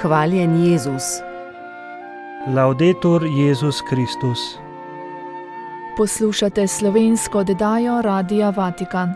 Hvaljen Jezus. Laudetur Jezus Kristus. Poslušate slovensko oddajo Radia Vatikan.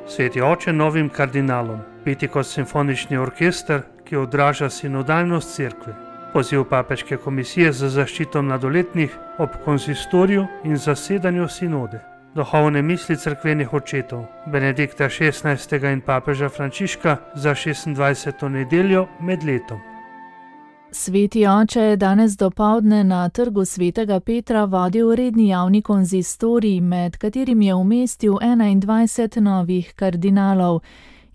Sveti oče novim kardinalom, Pentekostni orkester, ki odraža sinodalnost cerkve. Poziv papeške komisije za zaščito mladoletnih ob konzistoriju in zasedanju sinode. Duhovne misli cerkvenih očetov Benedikta XVI. In papeža Frančiška za 26. nedeljo med letom. Sveti oče je danes dopoldne na trgu svetega Petra vodil redni javni konzistorij, med katerim je umestil 21 novih kardinalov.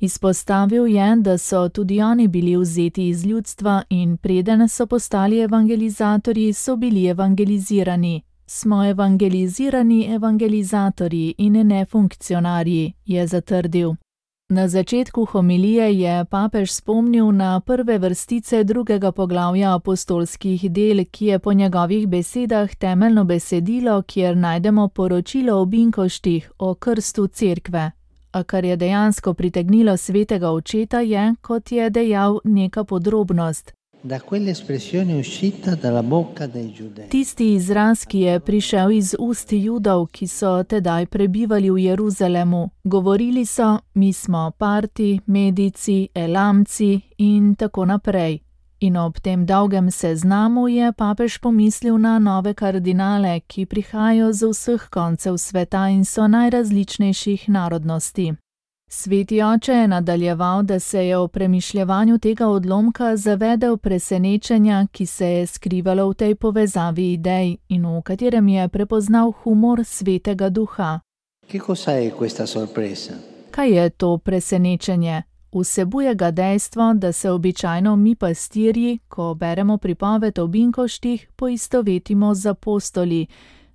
Izpostavil je, da so tudi oni bili vzeti iz ljudstva in preden so postali evangelizatorji, so bili evangelizirani. Smo evangelizirani evangelizatorji in ne funkcionarji, je zatrdil. Na začetku homilije je papež spomnil na prve vrstice drugega poglavja apostolskih del, ki je po njegovih besedah temeljno besedilo, kjer najdemo poročilo o binkoštih, o krstu cerkve. A kar je dejansko pritegnilo svetega očeta je, kot je dejal, neka podrobnost. Tisti izraz, ki je prišel iz ust Judov, ki so tedaj prebivali v Jeruzalemu. Govorili so, mi smo Parti, Medici, Elamci in tako naprej. In ob tem dolgem seznamu je papež pomislil na nove kardinale, ki prihajajo z vseh koncev sveta in so najrazličnejših narodnosti. Sveti oče je nadaljeval, da se je o premišljevanju tega odlomka zavedel presenečenja, ki se je skrivalo v tej povezavi idej in v katerem je prepoznal humor svetega duha. Kaj je to presenečenje? Vsebuje ga dejstvo, da se običajno mi pastirji, ko beremo pripoved o binkoštih, poistovetimo z apostoli.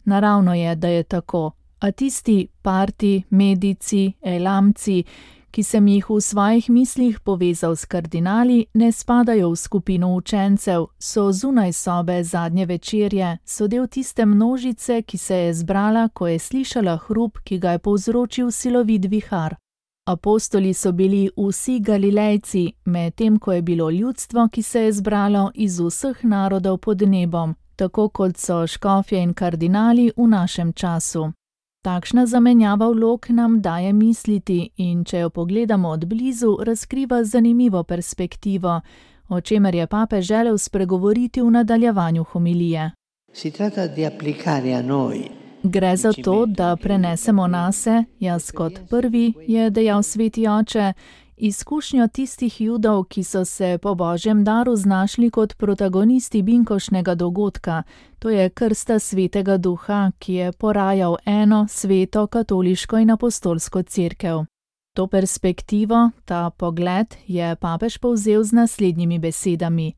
Naravno je, da je tako. A tisti Parti, Medici, Elamci, ki sem jih v svojih mislih povezal s kardinali, ne spadajo v skupino učencev, so zunaj sobe zadnje večerje, so del tiste množice, ki se je zbrala, ko je slišala hrup, ki ga je povzročil silovit vihar. Apostoli so bili vsi Galilejci, medtem ko je bilo ljudstvo, ki se je zbralo iz vseh narodov pod nebom, tako kot so škofje in kardinali v našem času. Takšna zamenjava vlog nam daje misliti in če jo pogledamo od blizu, razkriva zanimivo perspektivo, o čemer je papež želel spregovoriti v nadaljevanju homilije. Gre za to, da prenesemo nase, jaz kot prvi, je dejal sveti oče, izkušnjo tistih Judov, ki so se po Božjem daru znašli kot protagonisti binkoštnega dogodka, to je krsta svetega duha, ki je porajal eno sveto katoliško in apostolsko cerkev. To perspektivo, ta pogled, je papež povzel z naslednjimi besedami.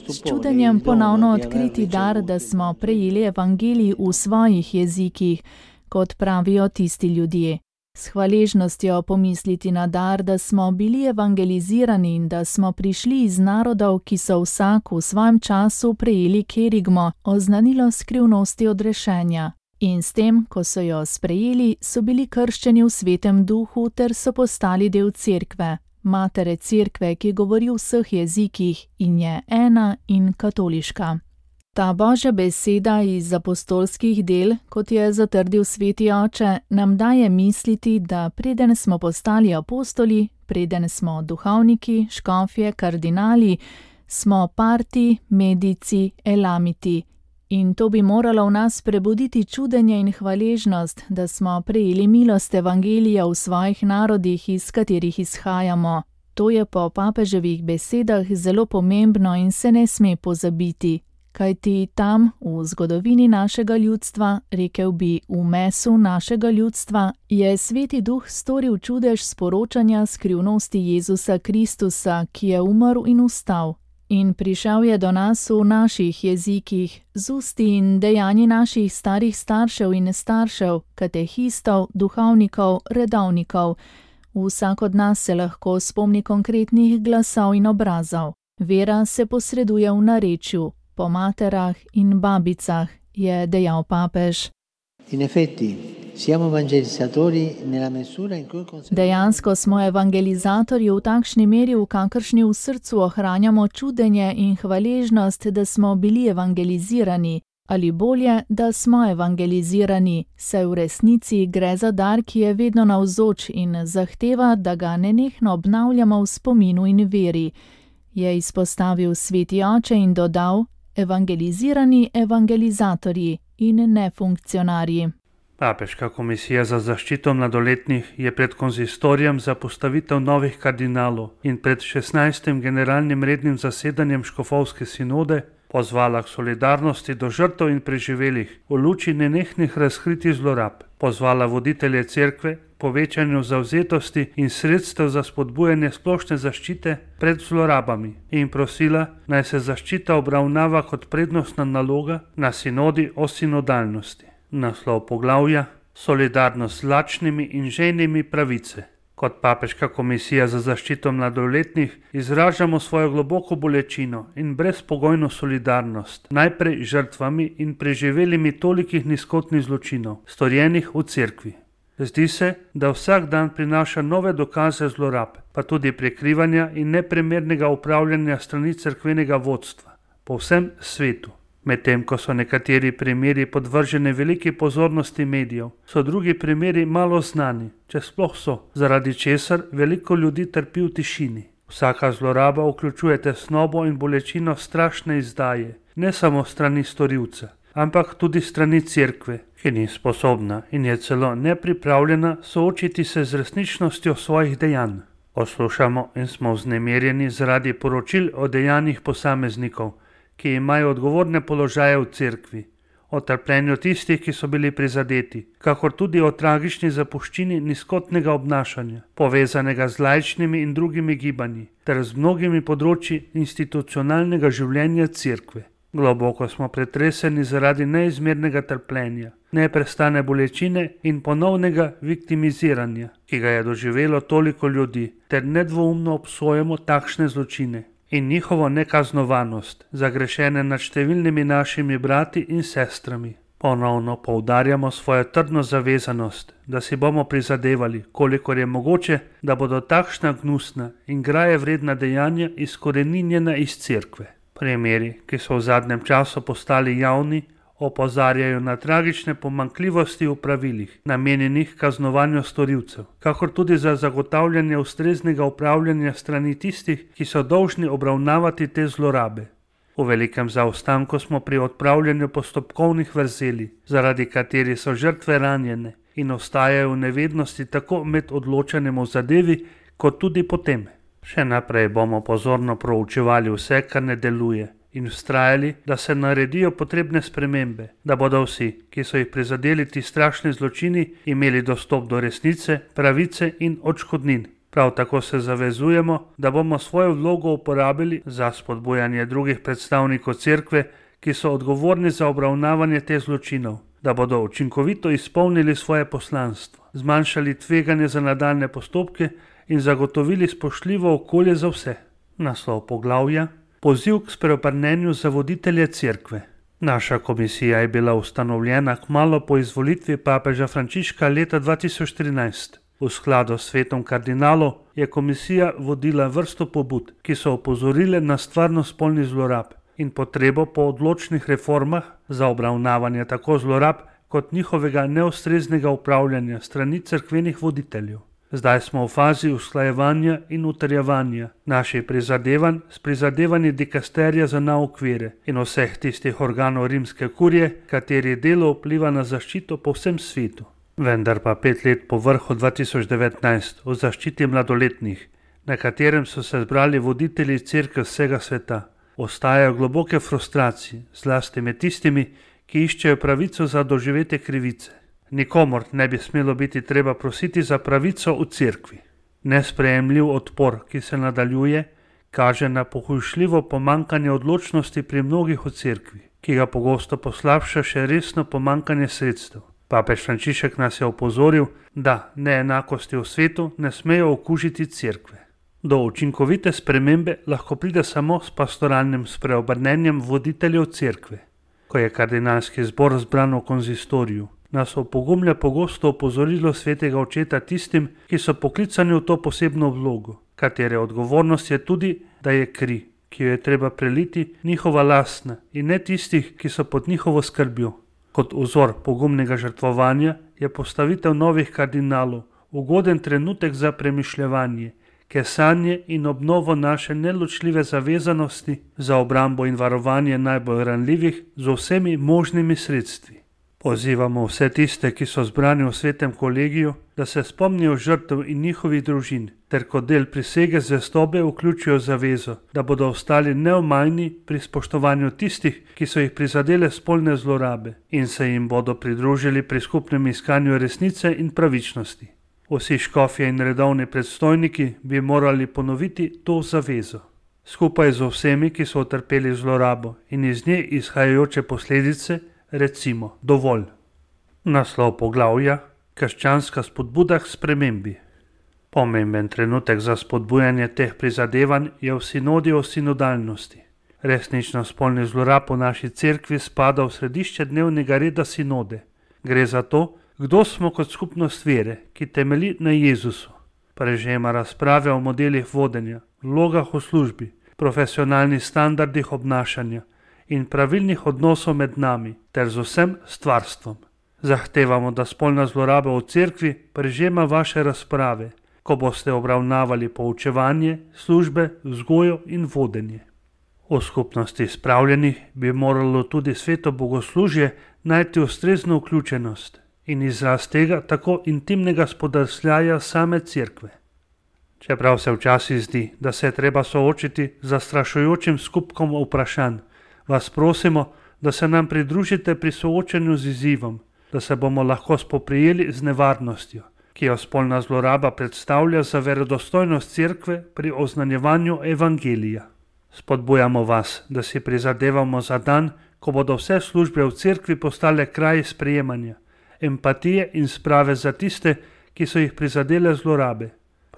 S čudenjem ponovno odkriti dar, da smo prejeli evangelij v svojih jezikih, kot pravijo tisti ljudje. S hvaležnostjo pomisliti na dar, da smo bili evangelizirani in da smo prišli iz narodov, ki so vsak v svojem času prejeli kerigmo, oznanilo skrivnosti odrešenja. In s tem, ko so jo sprejeli, so bili krščeni v svetem duhu ter so postali del cerkve, matere cerkve, ki govori v vseh jezikih in je ena in katoliška. Ta Božja beseda iz apostolskih del, kot je zatrdil sveti oče, nam daje misliti, da preden smo postali apostoli, preden smo duhovniki, škofje, kardinali, smo Parti, Medici, Elamiti. In to bi moralo v nas prebuditi čudenje in hvaležnost, da smo prejeli milost evangelija v svojih narodih, iz katerih izhajamo. To je po papeževih besedah zelo pomembno in se ne sme pozabiti. Kajti tam, v zgodovini našega ljudstva, rekel bi v mesu našega ljudstva, je sveti duh storil čudež sporočanja skrivnosti Jezusa Kristusa, ki je umrl in vstal. In prišel je do nas v naših jezikih, z usti in dejanji naših starih staršev in staršev, katehistov, duhovnikov, redovnikov. Vsak od nas se lahko spomni konkretnih glasov in obrazov. Vera se posreduje v narečju, po materah in babicah, je dejal papež. In effetti, Dejansko smo evangelizatorji v takšni meri, v kakršni v srcu ohranjamo čudenje in hvaležnost, da smo bili evangelizirani, ali bolje, da smo evangelizirani, saj v resnici gre za dar, ki je vedno navzoč in zahteva, da ga nenehno obnavljamo v spominu in veri, je izpostavil sveti oče in dodal: evangelizirani evangelizatorji in ne funkcionarji. Papeška komisija za zaščito mladoletnih je pred konzistorijem za postavitev novih kardinalov in pred 16. generalnim rednim zasedanjem škofovske sinode pozvala k solidarnosti do žrtev in preživelih v luči nenehnih razkritij zlorab, pozvala voditelje cerkve k povečanju zavzetosti in sredstev za spodbujanje splošne zaščite pred zlorabami in prosila, naj se zaščita obravnava kot prednostna naloga na sinodi o sinodalnosti. Naslov poglavja: Solidarnost z lačnimi in žejnimi pravice. Kot Papeška komisija za zaščito mladoletnih izražamo svojo globoko bolečino in brezpogojno solidarnost najprej žrtvami in preživelimi tolikih nizkotnih zločinov, storjenih v cerkvi. Zdi se, da vsak dan prinaša nove dokaze zlorab, pa tudi prekrivanja in neprimernega upravljanja strani cerkvenega vodstva po vsem svetu. Medtem ko so nekateri primeri podvrženi veliki pozornosti medijev, so drugi primeri malo znani, če sploh so, zaradi česar veliko ljudi trpi v tišini. Vsaka zloraba vključuje tesnobo in bolečino strašne izdaje, ne samo strani storilca, ampak tudi strani cerkve, ki ni sposobna in je celo nepripravljena soočiti se z resničnostjo svojih dejanj. Poslušamo in smo vznemirjeni zaradi poročil o dejanjih posameznikov, ki imajo odgovorne položaje v cerkvi, o trpljenju tistih, ki so bili prizadeti, kakor tudi o tragični zapuščini nizkotnega obnašanja, povezanega z laičnimi in drugimi gibanji, ter z mnogimi področji institucionalnega življenja cerkve. Globoko smo pretreseni zaradi neizmernega trpljenja, neprestane bolečine in ponovnega viktimiziranja, ki ga je doživelo toliko ljudi, ter nedvoumno obsojamo takšne zločine in njihovo nekaznovanost, zagrešene nad številnimi našimi brati in sestrami. Ponovno poudarjamo svojo trdno zavezanost, da si bomo prizadevali, kolikor je mogoče, da bodo takšna gnusna in graje vredna dejanja izkoreninjena iz cerkve. Primeri, ki so v zadnjem času postali javni, opozarjajo na tragične pomanjkljivosti v pravilih, namenjenih kaznovanju storilcev, kakor tudi za zagotavljanje ustreznega upravljanja strani tistih, ki so dolžni obravnavati te zlorabe. V velikem zaostanku smo pri odpravljanju postopkovnih vrzeli, zaradi katerih so žrtve ranjene in ostajajo v nevednosti tako med odločanjem o zadevi, kot tudi potem. Še naprej bomo pozorno proučevali vse, kar ne deluje, in vztrajali, da se naredijo potrebne spremembe, da bodo vsi, ki so jih prizadeli ti strašni zločini, imeli dostop do resnice, pravice in odškodnin. Prav tako se zavezujemo, da bomo svojo vlogo uporabili za spodbujanje drugih predstavnikov cerkve, ki so odgovorni za obravnavanje teh zločinov, da bodo učinkovito izpolnili svoje poslanstvo, zmanjšali tveganje za nadaljne postopke in zagotovili spoštljivo okolje za vse. Naslov poglavja: Poziv k spreobrnenju za voditelje cerkve. Naša komisija je bila ustanovljena kmalu po izvolitvi papeža Frančiška leta 2013. V skladu s svetom kardinalov je komisija vodila vrsto pobud, ki so opozorile na stvarnost spolnih zlorab in potrebo po odločnih reformah za obravnavanje tako zlorab kot njihovega neustreznega upravljanja strani cerkvenih voditeljev. Zdaj smo v fazi usklajevanja in utrjevanja naših prizadevanj s prizadevanji dikasterija za nauk vere in vseh tistih organov rimske kurije, kateri delo vpliva na zaščito po vsem svetu. Vendar pa 5 let po vrhu 2019 o zaščiti mladoletnih, na katerem so se zbrali voditelji cerkve vsega sveta, ostajajo globoke frustracije, zlasti med tistimi, ki iščejo pravico za doživete krivice. Nikomor ne bi smelo biti treba prositi za pravico v cerkvi. Nesprejemljiv odpor, ki se nadaljuje, kaže na pohujšljivo pomanjkanje odločnosti pri mnogih v cerkvi, ki ga pogosto poslabša še resno pomanjkanje sredstev. Papež Frančišek nas je opozoril, da neenakosti v svetu ne smejo okužiti cerkve. Do učinkovite spremembe lahko pride samo s pastoralnim spreobrnenjem voditeljev cerkve. Ko je kardinalski zbor zbran v konzistoriju, nas opogumlja pogosto opozorilo svetega očeta tistim, ki so poklicani v to posebno vlogo, katere odgovornost je tudi, da je kri, ki jo je treba preliti, njihova lastna in ne tistih, ki so pod njihovo skrbjo. Kot vzor pogumnega žrtvovanja je postavitev novih kardinalov ugoden trenutek za premišljevanje, kesanje in obnovo naše neločljive zavezanosti za obrambo in varovanje najbolj ranljivih z vsemi možnimi sredstvi. Pozivamo vse tiste, ki so zbrani v svetem kolegiju, da se spomnijo žrtev in njihovih družin, ter kot del prisege zvestobe vključijo zavezo, da bodo ostali neomajni pri spoštovanju tistih, ki so jih prizadele spolne zlorabe in se jim bodo pridružili pri skupnem iskanju resnice in pravičnosti. Vsi škofje in redovni predstojniki bi morali ponoviti to zavezo. Skupaj z vsemi, ki so utrpeli zlorabo in iz nje izhajajoče posledice, recimo dovolj. Naslov poglavja: Krščanska spodbuda k spremembi. Pomemben trenutek za spodbujanje teh prizadevanj je v sinodi o sinodalnosti. Resnično spolnih zlorab v naši cerkvi spada v središče dnevnega reda sinode. Gre za to, kdo smo kot skupnost vere, ki temelji na Jezusu. Prežema razprave o modelih vodenja, vlogah v službi, profesionalnih standardih obnašanja in pravilnih odnosov med nami ter z vsem stvarstvom. Zahtevamo, da spolna zloraba v cerkvi prežema vaše razprave, ko boste obravnavali poučevanje, službe, vzgojo in vodenje. V skupnosti spravljenih bi moralo tudi sveto bogoslužje najti ustrezno vključenost in izraz tega tako intimnega spodrsljaja same cerkve. Čeprav se včasih zdi, da se je treba soočiti z zastrašujočim skupkom vprašanj, vas prosimo, da se nam pridružite pri soočanju z izzivom, da se bomo lahko spoprijeli z nevarnostjo, ki jo spolna zloraba predstavlja za verodostojnost cerkve pri oznanjevanju evangelija. Spodbujamo vas, da si prizadevamo za dan, ko bodo vse službe v cerkvi postale kraji sprejemanja, empatije in sprave za tiste, ki so jih prizadele zlorabe.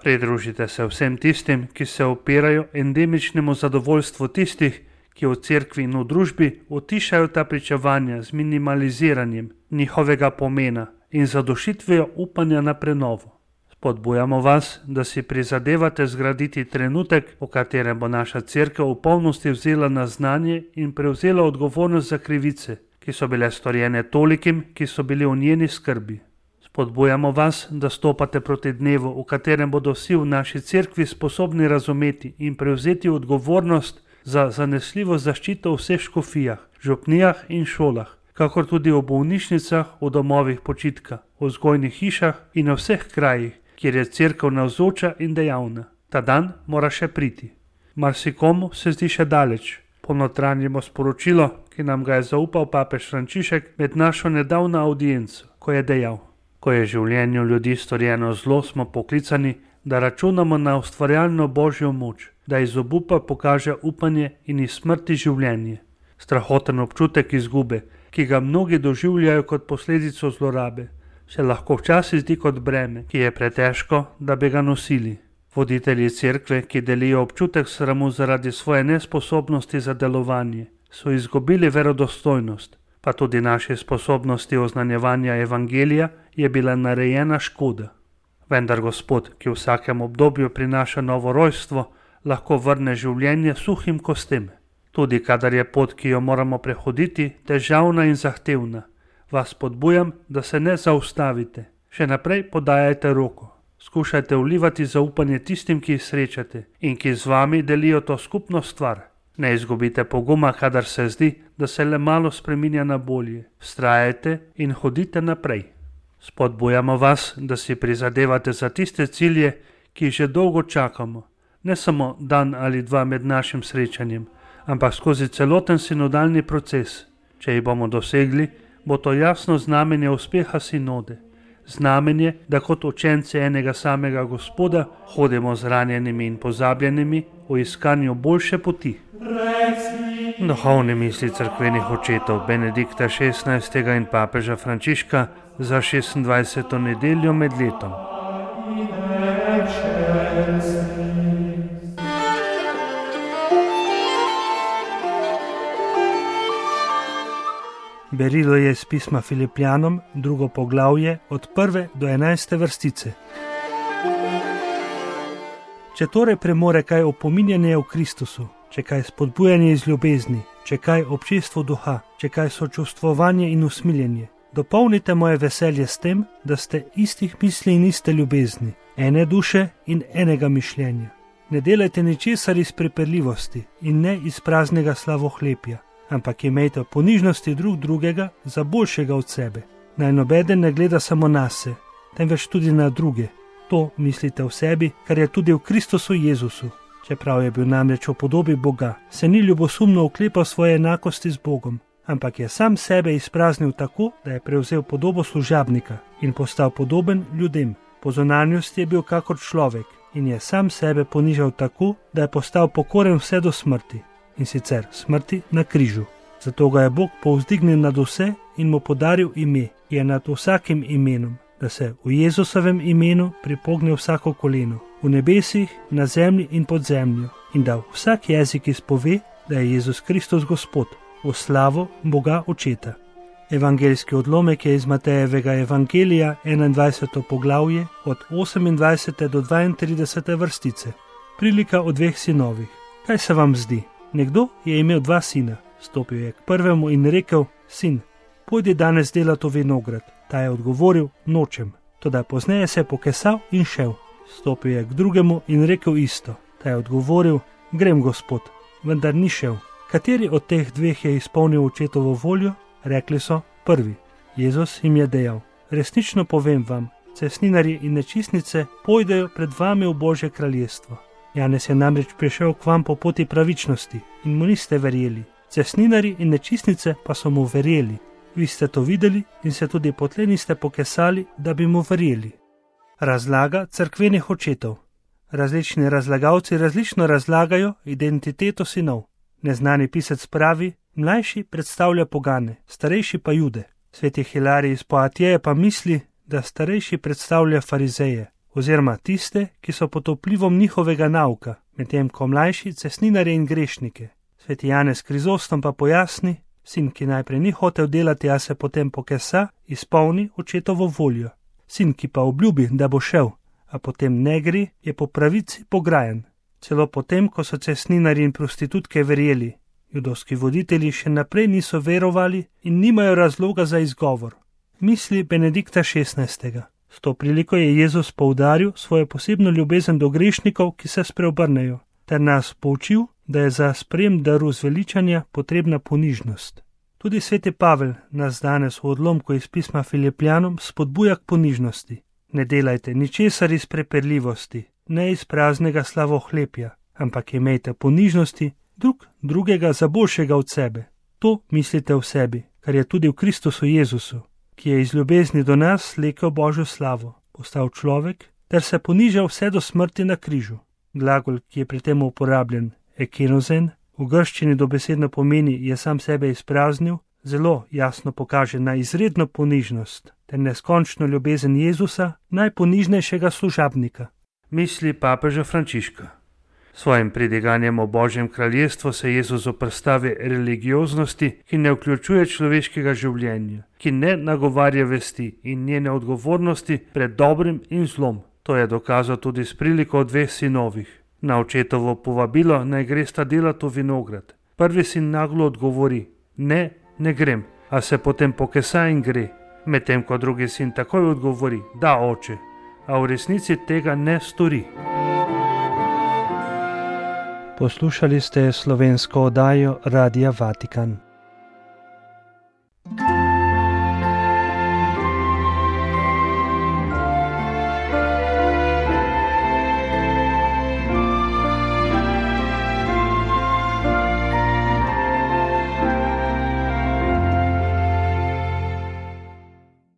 Pridružite se vsem tistim, ki se upirajo endemičnemu zadovoljstvu tistih, ki v cerkvi in v družbi utišajo ta pričevanja z minimaliziranjem njihovega pomena in zadošitvijo upanja na prenovo. Spodbujamo vas, da si prizadevate zgraditi trenutek, v katerem bo naša cerkev v polnosti vzela na znanje in prevzela odgovornost za krivice, ki so bile storjene tolikim, ki so bili v njeni skrbi. Spodbujamo vas, da stopate proti dnevu, v katerem bodo vsi v naši cerkvi sposobni razumeti in prevzeti odgovornost za zanesljivo zaščito v vseh škofijah, župnijah in šolah, kakor tudi v bolnišnicah, v domovih počitka, v vzgojnih hišah in v vseh krajih, kjer je cerkev navzoča in dejavna. Ta dan mora še priti. Marsikomu se zdi še daleč. Ponotranjimo sporočilo, ki nam ga je zaupal papež Frančišek med našo nedavno audienco, ko je dejal: ko je življenju ljudi storjeno zlo, smo poklicani, da računamo na ustvarjalno božjo moč, da iz obupa pokaže upanje in iz smrti življenje. Strahoten občutek izgube, ki ga mnogi doživljajo kot posledico zlorabe, se lahko včasih zdi kot breme, ki je pretežko, da bi ga nosili. Voditelji cerkve, ki delijo občutek sramu zaradi svoje nesposobnosti za delovanje, so izgubili verodostojnost, pa tudi naše sposobnosti oznanjevanja evangelija je bila narejena škoda. Vendar Gospod, ki v vsakem obdobju prinaša novo rojstvo, lahko vrne življenje suhim kostem. Tudi kadar je pot, ki jo moramo prehoditi, težavna in zahtevna, vas spodbujam, da se ne zaustavite. Še naprej podajajte roko. Skušajte vlivati zaupanje tistim, ki jih srečate in ki z vami delijo to skupno stvar. Ne izgubite poguma, kadar se zdi, da se le malo spreminja na bolje. Vztrajajte in hodite naprej. Spodbujamo vas, da si prizadevate za tiste cilje, ki jih že dolgo čakamo. Ne samo dan ali dva med našim srečanjem, ampak skozi celoten sinodalni proces. Če jih bomo dosegli, bo to jasno znamenje uspeha sinode. Znamenje, da kot učenci enega samega Gospoda hodimo z ranjenimi in pozabljenimi v iskanju boljše poti. Duhovne misli cerkvenih očetov Benedikta XVI. In papeža Frančiška za 26. nedeljo med letom. Berilo je iz pisma Filipljanom, 2. poglavje, od 1. do 11. vrstice. Če torej premore kaj opominjanje v Kristusu, če kaj spodbujanje iz ljubezni, če kaj občestvo duha, če kaj sočustvovanje in usmiljenje, dopolnite moje veselje s tem, da ste istih misli in iste ljubezni, ene duše in enega mišljenja. Ne delajte ničesar iz prepirljivosti in ne iz praznega slavohlepja, ampak imejte ponižnosti drug drugega za boljšega od sebe. Naj nobeden ne gleda samo nase, temveč tudi na druge. To mislite v sebi, kar je tudi v Kristusu Jezusu. Čeprav je bil namreč v podobi Boga, se ni ljubosumno oklepal svoje enakosti z Bogom, ampak je sam sebe izpraznil tako, da je prevzel podobo služabnika in postal podoben ljudem. Po zunanjosti je bil kakor človek in je sam sebe ponižal tako, da je postal pokoren vse do smrti, in sicer smrti na križu. Zato ga je Bog povzdignil nad vse in mu podaril ime, je nad vsakim imenom, da se v Jezusovem imenu pripogne vsako koleno, v nebesih, na zemlji in pod zemljo, in da vsak jezik izpove, da je Jezus Kristus Gospod, v slavo Boga Očeta. Evangeljski odlomek je iz Matejevega evangelija, 21. poglavje, od 28. do 32. vrstice. Prilika o 2 sinovih. Kaj se vam zdi? Nekdo je imel 2 sina. Stopil je k prvemu in rekel: Sin, pojdi danes delat v vinograd. Ta je odgovoril: Nočem. Toda pozneje se je pokesal in šel. Stopil je k drugemu in rekel isto. Ta je odgovoril: Grem, gospod, vendar ni šel. Kateri od teh 2 je izpolnil očetovo voljo? Rekli so: prvi. Jezus jim je dejal: Resnično povem vam, cestninarji in nečistnice pojdejo pred vami v Božje kraljestvo. Janez je namreč prišel k vam po poti pravičnosti in mu niste verjeli. Cestninarji in nečistnice pa so mu verjeli. Vi ste to videli in se tudi potlej niste pokesali, da bi mu verjeli. Razlaga cerkvenih očetov. Različni razlagalci različno razlagajo identiteto sinov. Neznani pisec pravi: mlajši predstavlja pogane, starejši pa Jude. Sveti Hilarij iz Poatije pa misli, da starejši predstavlja farizeje, oziroma tiste, ki so pod vplivom njihovega nauka, medtem ko mlajši cestninarje in grešnike. Sveti Janez Krizostom pa pojasni: sin, ki najprej ni hotel delati, a se potem pokesa, izpolni očetovo voljo. Sin, ki pa obljubi, da bo šel, a potem ne gre, je po pravici pograjen. Celo potem, ko so cestninarji in prostitutke verjeli, judovski voditelji še naprej niso verovali in nimajo razloga za izgovor. Misli Benedikta XVI. S to priliko je Jezus poudaril svojo posebno ljubezen do grešnikov, ki se spreobrnejo, ter nas poučil, da je za sprejem daru zveličanja potrebna ponižnost. Tudi sveti Pavel nas danes v odlomku iz pisma Filipljanom spodbuja k ponižnosti. Ne delajte ničesar iz prepirljivosti, ne iz praznega slavohlepja, ampak imejte ponižnosti drugega za boljšega od sebe. To mislite v sebi, kar je tudi v Kristusu Jezusu, ki je iz ljubezni do nas slekel Božjo slavo, postal človek ter se ponižal vse do smrti na križu. Glagol, ki je pri tem uporabljen, ekenozen, v grščini dobesedno pomeni je sam sebe izpraznil, zelo jasno pokaže na izredno ponižnost ter neskončno ljubezen Jezusa, najponižnejšega služabnika. Misli papeža Frančiška. Svojim pridiganjem o Božjem kraljestvu se Jezus zoperstavi religioznosti, ki ne vključuje človeškega življenja, ki ne nagovarja vesti in njene odgovornosti pred dobrim in zlom. To je dokazal tudi s priliko o 2 sinovih. Na očetovo povabilo naj gresta delat v vinograd. Prvi sin naglo odgovori: ne grem, a se potem pokesa in gre. Medtem ko drugi sin takoj odgovori: da, oče, a v resnici tega ne stori. Poslušali ste slovensko oddajo Radia Vatikan.